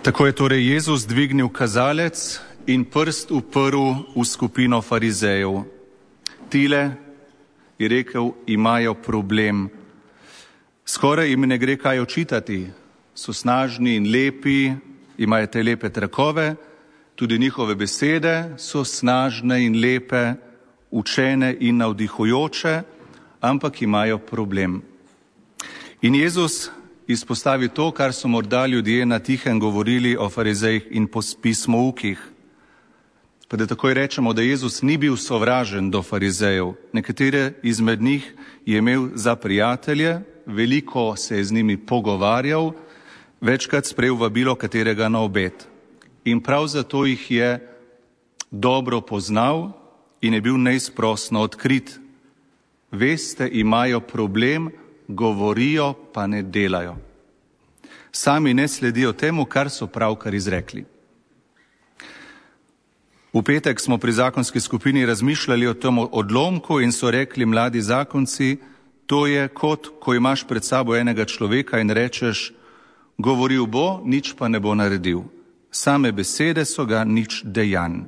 Tako je torej Jezus dvignil kazalec in prst uprl v skupino farizejev. Tile, je rekel, imajo problem. Skoraj jim ne gre kaj očitati. So snažni in lepi, imajo te lepe trakove, tudi njihove besede so snažne in lepe, učene in navdihujoče, ampak imajo problem. In Jezus izpostavi to, kar so morda ljudje na tihem govorili o farizejih in pismoukih. Pa da takoj rečemo, da Jezus ni bil sovražen do farizejev. Nekatere izmed njih je imel za prijatelje, veliko se je z njimi pogovarjal, večkrat sprejel vabilo katerega na obed. In prav zato jih je dobro poznal in je bil neizprosno odkrit. Veste, imajo problem, govorijo pa ne delajo. Sami ne sledijo temu, kar so pravkar izrekli. V petek smo pri zakonski skupini razmišljali o tem odlomku in so rekli mladi zakonci, to je kot, ko imaš pred sabo enega človeka in rečeš, govoril bo, nič pa ne bo naredil. Same besede so ga, nič dejanj.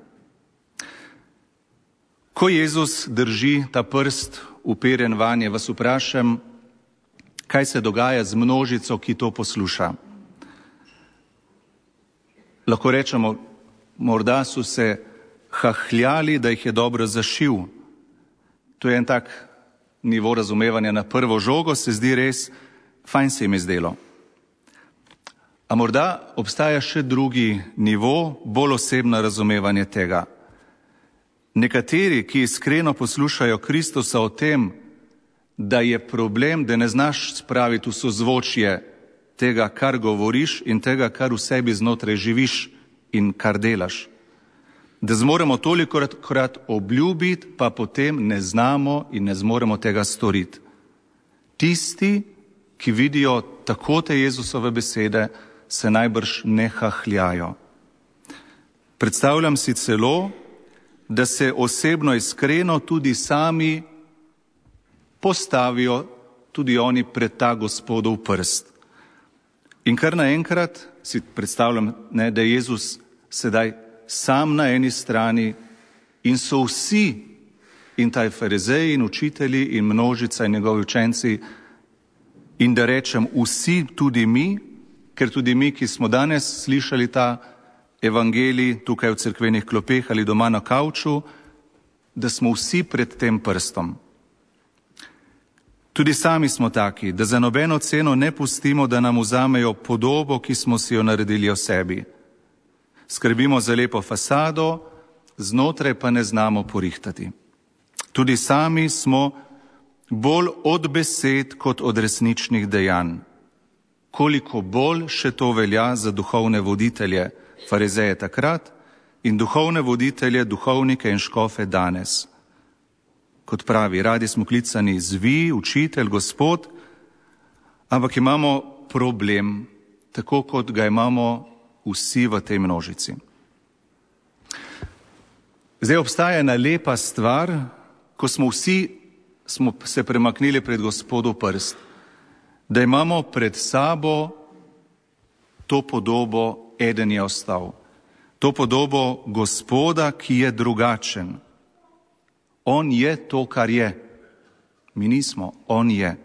Ko Jezus drži ta prst uperjen vanje, vas vprašam, kaj se dogaja z množico, ki to posluša. Lahko rečemo, morda so se hahljali, da jih je dobro zašil. To je en tak nivo razumevanja na prvo žogo, se zdi res, fajn se jim je zdelo. A morda obstaja še drugi nivo, bolj osebno razumevanje tega. Nekateri, ki iskreno poslušajo Kristusa o tem, da je problem, da ne znaš spraviti v sozvočje tega, kar govoriš in tega, kar v sebi znotraj živiš in kar delaš. Da zmoremo tolikokrat obljubiti, pa potem ne znamo in ne zmoremo tega storiti. Tisti, ki vidijo tako te Jezusove besede, se najbrž ne hahljajo. Predstavljam si celo, da se osebno iskreno tudi sami postavijo tudi oni pred ta Gospodov prst. In kar naenkrat si predstavljam, da je Jezus sedaj sam na eni strani in so vsi, in taj farizeji in učitelji in množica in njegovi učenci, in da rečem vsi, tudi mi, ker tudi mi, ki smo danes slišali ta evangelij tukaj v cerkvenih klopeh ali doma na kavču, da smo vsi pred tem prstom. Tudi sami smo taki, da za nobeno ceno ne pustimo, da nam vzamejo podobo, ki smo si jo naredili o sebi. Skrbimo za lepo fasado, znotraj pa ne znamo porihtati. Tudi sami smo bolj od besed kot od resničnih dejanj. Koliko bolj še to velja za duhovne voditelje, farizeje takrat in duhovne voditelje, duhovnike in škofe danes. Kot pravi, radi smo klicani zvi, učitelj, Gospod, ampak imamo problem, tako kot ga imamo vsi v tej množici. Zdaj obstaja ena lepa stvar, ko smo se premaknili pred Gospodov prst, da imamo pred sabo to podobo, eden je ostal. To podobo Gospoda, ki je drugačen. On je to, kar je. Mi nismo, on je.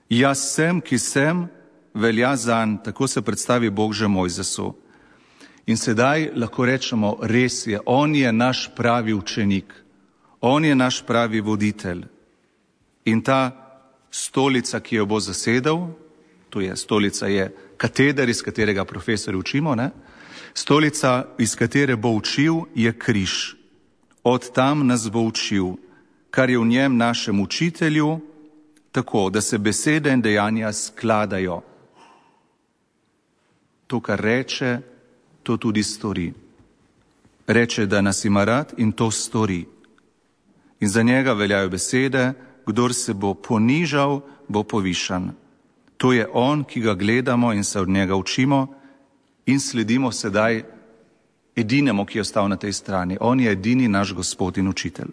Jaz sem, ki sem, velja zanj, tako se predstavi Bog že Mojzesu. In sedaj lahko rečemo, res je, on je naš pravi učenik. On je naš pravi voditelj. In ta stolica, ki jo bo zasedel, to je stolica je kateder, iz katerega profesori učimo, ne? Stolica, iz katere bo učil, je križ. Od tam nas bo učil, kar je v njem našem učitelju, tako, da se besede in dejanja skladajo. To, kar reče, to tudi stori. Reče, da nas ima rad in to stori. In za njega veljajo besede, kdor se bo ponižal, bo povišan. To je on, ki ga gledamo in se od njega učimo in sledimo sedaj edinemu, ki je ostal na tej strani. On je edini naš Gospod in učitelj.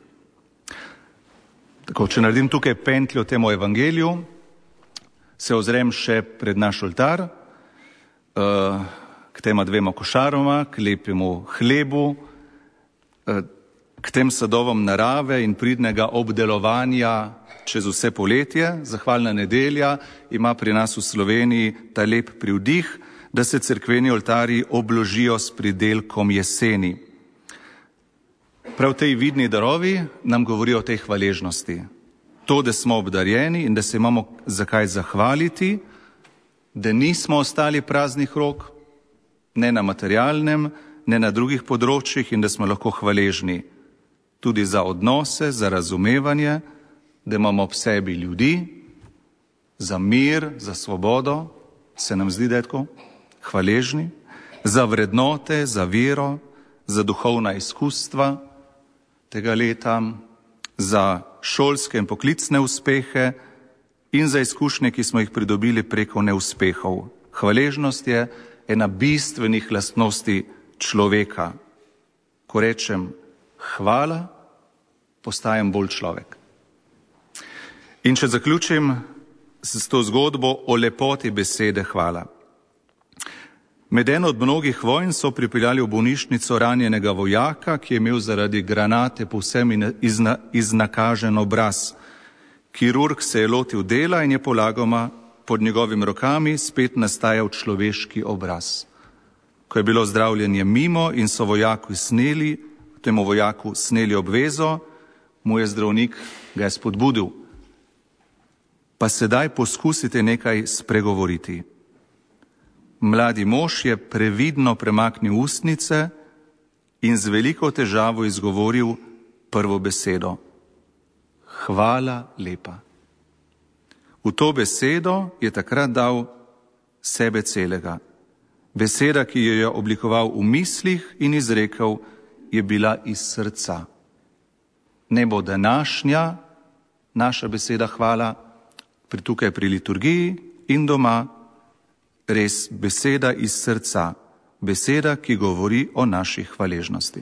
Tako, če naredim tukaj pentljo temu evangeliju, se ozrem še pred naš oltar, k tema 2 košaroma, k lepemu hlebu, k tem sadovom narave in pridnega obdelovanja čez vse poletje. Zahvalna nedelja ima pri nas v Sloveniji ta lep privdih, da se cerkveni oltarji obložijo s pridelkom jeseni. Prav tej vidni darovi nam govorijo o tej hvaležnosti. To, da smo obdarjeni in da se imamo zakaj zahvaliti, da nismo ostali praznih rok, ne na materialnem, ne na drugih področjih in da smo lahko hvaležni tudi za odnose, za razumevanje, da imamo ob sebi ljudi, za mir, za svobodo, se nam zdi, da je tako, hvaležni, za vrednote, za vero, za duhovna izkustva tega leta, za šolske in poklicne uspehe in za izkušnje, ki smo jih pridobili preko neuspehov. Hvaležnost je ena bistvenih lastnosti človeka. Ko rečem hvala, postajam bolj človek. In če zaključim s to zgodbo o lepoti besede hvala. Med eno od mnogih vojn so pripeljali v bolnišnico ranjenega vojaka, ki je imel zaradi granate povsem iznakažen obraz. Kirurg se je lotil dela in je polagoma pod njegovimi rokami spet nastajal človeški obraz. Ko je bilo zdravljenje mimo in so temu vojaku sneli obvezo, mu je zdravnik ga je spodbudil. Pa sedaj poskusite nekaj spregovoriti. Mladi mož je previdno premaknil ustnice in z veliko težavo izgovoril prvo besedo. Hvala lepa. V to besedo je takrat dal sebe celega. Beseda, ki jo je oblikoval v mislih in izrekel, je bila iz srca. Ne bo današnja naša beseda hvala, tukaj pri liturgiji in doma, res beseda iz srca, beseda, ki govori o naši hvaležnosti.